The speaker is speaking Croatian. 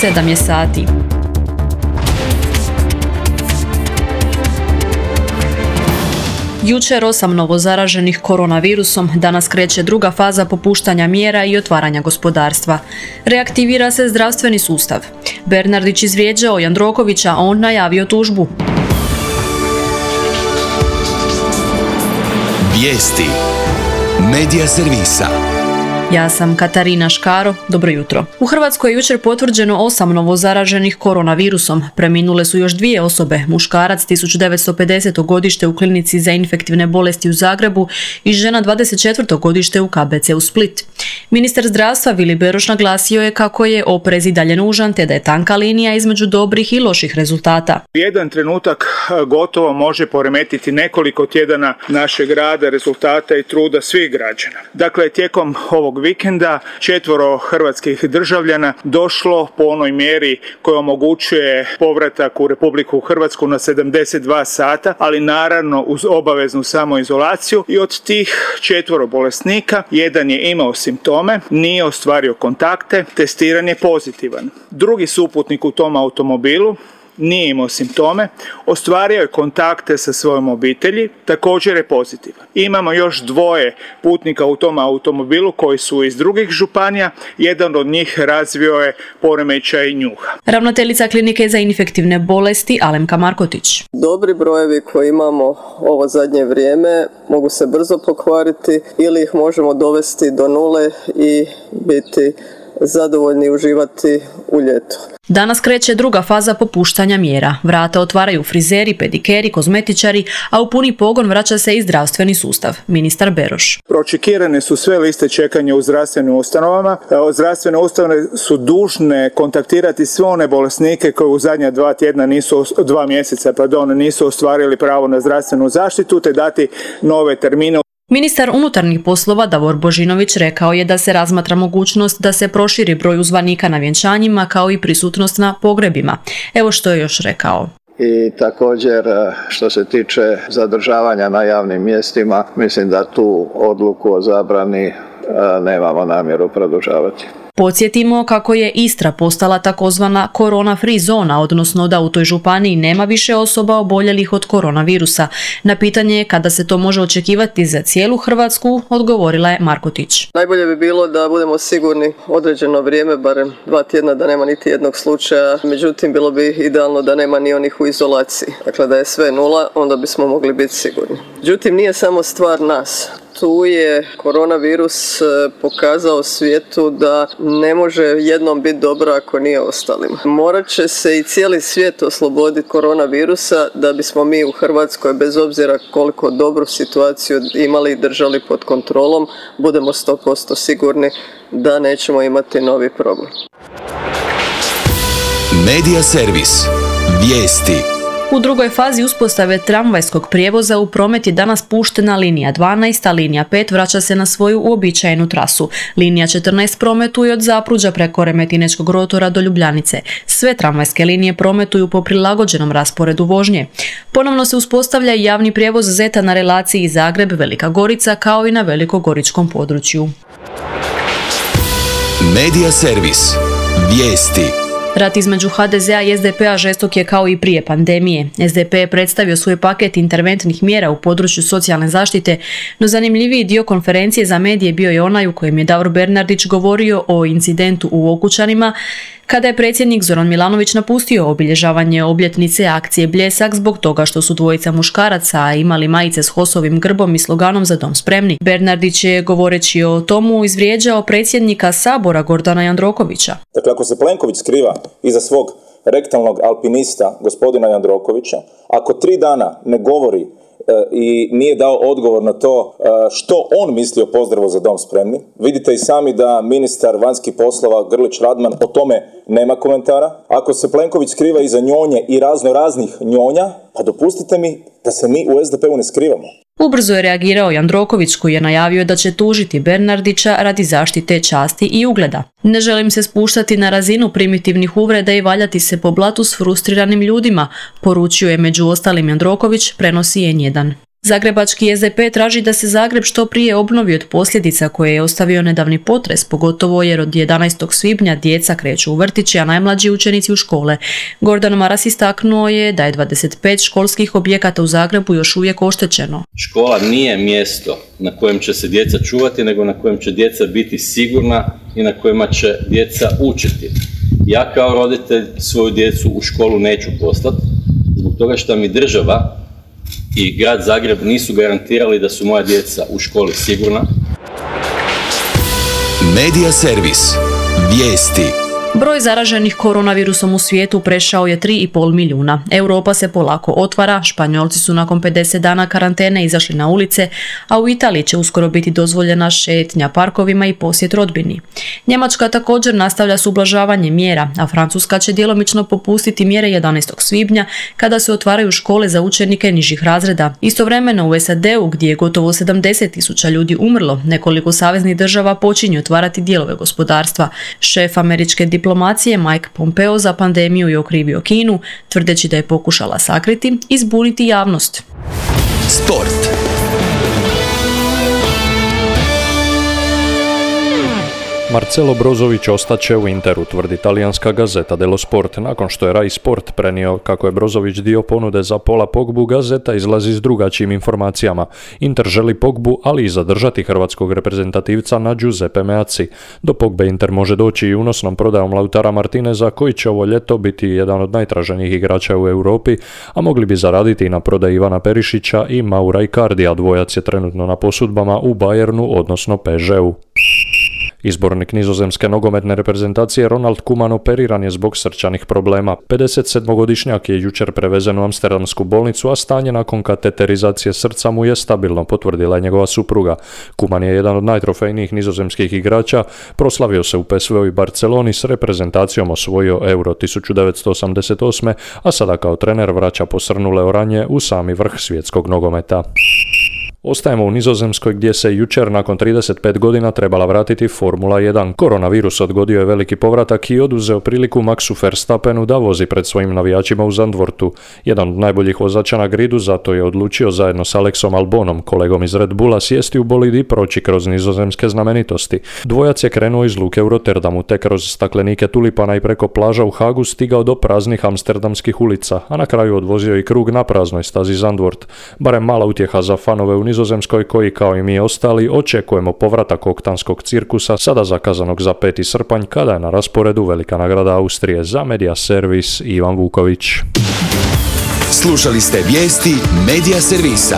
7 je sati. Jučer 8 novozaraženih koronavirusom, danas kreće druga faza popuštanja mjera i otvaranja gospodarstva. Reaktivira se zdravstveni sustav. Bernardić izvrijeđao Jandrokovića, a on najavio tužbu. Vijesti Medija servisa. Ja sam Katarina Škaro, dobro jutro. U Hrvatskoj je jučer potvrđeno 8 novozaraženih koronavirusom. Preminule su još 2 osobe, muškarac 1950. godište u klinici za infektivne bolesti u Zagrebu i žena 24. godište u KBC u Split. Ministar zdravstva Vili Beroš naglasio je kako je oprez i dalje nužan te da je tanka linija između dobrih i loših rezultata. Jedan trenutak gotovo može poremetiti nekoliko tjedana našeg rada, rezultata i truda svih građana. Dakle, tijekom ovog vikenda 4 hrvatskih državljana došlo po onoj mjeri koja omogućuje povratak u Republiku Hrvatsku na 72 sata, ali naravno uz obaveznu samoizolaciju, i od tih 4 bolesnika jedan je imao simptome, nije ostvario kontakte, testiran je pozitivan. Drugi suputnik u tom automobilu nije imao simptome, ostvario je kontakte sa svojom obitelji, također je pozitivan. Imamo još 2 putnika u tom automobilu koji su iz drugih županija, jedan od njih razvio je poremećaj njuha. Ravnateljica klinike za infektivne bolesti Alemka Markotić. Dobri brojevi koje imamo ovo zadnje vrijeme mogu se brzo pokvariti ili ih možemo dovesti do nule i biti zadovoljni uživati u ljetu. Danas kreće druga faza popuštanja mjera. Vrata otvaraju frizeri, pedikeri, kozmetičari, a u puni pogon vraća se i zdravstveni sustav. Ministar Beroš. Pročekirane su sve liste čekanja u zdravstvenim ustanovama. Zdravstvene ustanove su dužne kontaktirati sve one bolesnike koji u zadnja 2 mjeseca nisu ostvarili pravo na zdravstvenu zaštitu, te dati nove termine. Ministar unutarnjih poslova Davor Božinović rekao je da se razmatra mogućnost da se proširi broj uzvanika na vjenčanjima kao i prisutnost na pogrebima. Evo što je još rekao. I također što se tiče zadržavanja na javnim mjestima, mislim da tu odluku o zabrani nemamo namjeru produžavati. Podsjetimo kako je Istra postala takozvana korona free zona, odnosno da u toj županiji nema više osoba oboljelih od koronavirusa. Na pitanje kada se to može očekivati za cijelu Hrvatsku, odgovorila je Markotić. Najbolje bi bilo da budemo sigurni određeno vrijeme, barem 2 tjedna, da nema niti jednog slučaja. Međutim, bilo bi idealno da nema ni onih u izolaciji. Dakle, da je sve nula, onda bismo mogli biti sigurni. Međutim, nije samo stvar nas. Tu je koronavirus pokazao svijetu da ne može jednom biti dobro ako nije ostalima. Morat će se i cijeli svijet osloboditi koronavirusa da bismo mi u Hrvatskoj, bez obzira koliko dobru situaciju imali i držali pod kontrolom, budemo 100% sigurni da nećemo imati novi problem. Medija servis. Vijesti. U drugoj fazi uspostave tramvajskog prijevoza u promet je danas puštena linija 12, a linija 5 vraća se na svoju uobičajenu trasu. Linija 14 prometuje od Zapruđa preko Remetinečkog rotora do Ljubljanice. Sve tramvajske linije prometuju po prilagođenom rasporedu vožnje. Ponovno se uspostavlja i javni prijevoz ZET-a na relaciji Zagreb-Velika Gorica kao i na velikogoričkom području. Medija servis. Vijesti. Rat između HDZ-a i SDP-a žestok je kao i prije pandemije. SDP je predstavio svoj paket interventnih mjera u području socijalne zaštite, no zanimljiviji dio konferencije za medije bio je onaj u kojem je Davor Bernardić govorio o incidentu u Okučanima, kada je predsjednik Zoran Milanović napustio obilježavanje obljetnice akcije Bljesak zbog toga što su dvojica muškaraca imali majice s HOS-ovim grbom i sloganom Za dom spremni. Bernardić je, govoreći o tomu, izvrijeđao predsjednika Sabora Gordana Jandrokovića. Dakle, ako se Plenković skriva iza svog rektalnog alpinista gospodina Jandrokovića, ako 3 dana ne govori i nije dao odgovor na to što on misli o pozdravu Za dom spremni. Vidite i sami da ministar vanjskih poslova Grlić Radman o tome nema komentara. Ako se Plenković skriva iza njonje i raznih njonja, pa dopustite mi da se mi u SDP-u ne skrivamo. Ubrzo je reagirao Jandroković koji je najavio da će tužiti Bernardića radi zaštite časti i ugleda. Ne želim se spuštati na razinu primitivnih uvreda i valjati se po blatu s frustriranim ljudima, poručio je među ostalim Jandroković, prenosi N1. Zagrebački SDP traži da se Zagreb što prije obnovi od posljedica koje je ostavio nedavni potres, pogotovo jer od 11. svibnja djeca kreću u vrtiće, a najmlađi učenici u škole. Gordan Maras istaknuo je da je 25 školskih objekata u Zagrebu još uvijek oštećeno. Škola nije mjesto na kojem će se djeca čuvati, nego na kojem će djeca biti sigurna i na kojima će djeca učiti. Ja kao roditelj svoju djecu u školu neću poslati, zbog toga što mi država i grad Zagreb nisu garantirali da su moja djeca u školi sigurna. Medija servis. Vijesti. Broj zaraženih koronavirusom u svijetu prešao je 3,5 milijuna. Europa se polako otvara, Španjolci su nakon 50 dana karantene izašli na ulice, a u Italiji će uskoro biti dozvoljena šetnja parkovima i posjet rodbini. Njemačka također nastavlja s ublažavanjem mjera, a Francuska će djelomično popustiti mjere 11. svibnja kada se otvaraju škole za učenike nižih razreda. Istovremeno u SAD-u, gdje je gotovo 70.000 ljudi umrlo, nekoliko saveznih država počinju otvarati dijelove gospodarstva. Šef američke diplomacije Mike Pompeo za pandemiju je okrivio Kinu, tvrdeći da je pokušala sakriti i zbuniti javnost. Sport. Marcelo Brozović ostaće u Interu, tvrdi talijanska gazeta dello Sport. Nakon što je Rai Sport prenio kako je Brozović dio ponude za Paula Pogbu, gazeta izlazi s drugačijim informacijama. Inter želi Pogbu, ali i zadržati hrvatskog reprezentativca na Giuseppe Meazzi. Do Pogbe Inter može doći i unosnom prodajom Lautara Martineza, koji će ovo ljeto biti jedan od najtraženijih igrača u Europi, a mogli bi zaraditi i na prodaji Ivana Perišića i Maura Icardija. Dvojac je trenutno na posudbama u Bayernu, odnosno PSG-u. Izbornik nizozemske nogometne reprezentacije Ronald Koeman operiran je zbog srčanih problema. 57-godišnjak je jučer prevezen u amsterdamsku bolnicu, a stanje nakon kateterizacije srca mu je stabilno, potvrdila je njegova supruga. Koeman je jedan od najtrofejnijih nizozemskih igrača, proslavio se u PSV-u i Barceloni, s reprezentacijom osvojio Euro 1988, a sada kao trener vraća posrnule oranje u sami vrh svjetskog nogometa. Ostajemo u Nizozemskoj, gdje se jučer nakon 35 godina trebala vratiti Formula 1. Koronavirus odgodio je veliki povratak i oduzeo priliku Maxu Verstappenu da vozi pred svojim navijačima u Zandvortu. Jedan od najboljih vozača na gridu, zato je odlučio zajedno s Alexom Albonom, kolegom iz Red Bulla, sjesti u bolid i proći kroz nizozemske znamenitosti. Dvojac je krenuo iz luke u Rotterdamu, te kroz staklenike tulipana i preko plaža u Hagu stigao do praznih amsterdamskih ulica, a na kraju odvozio i krug na praznoj stazi Zandvoort. Barem mala utjeha za fanove u Nizozemskoj, koji kao i mi ostali očekujemo povratak oktanskog cirkusa, sada zakazanog za 5. srpanj, kada je na rasporedu velika nagrada Austrije. Za Medija servis Ivan Vuković. Slušali ste vijesti Medija servisa.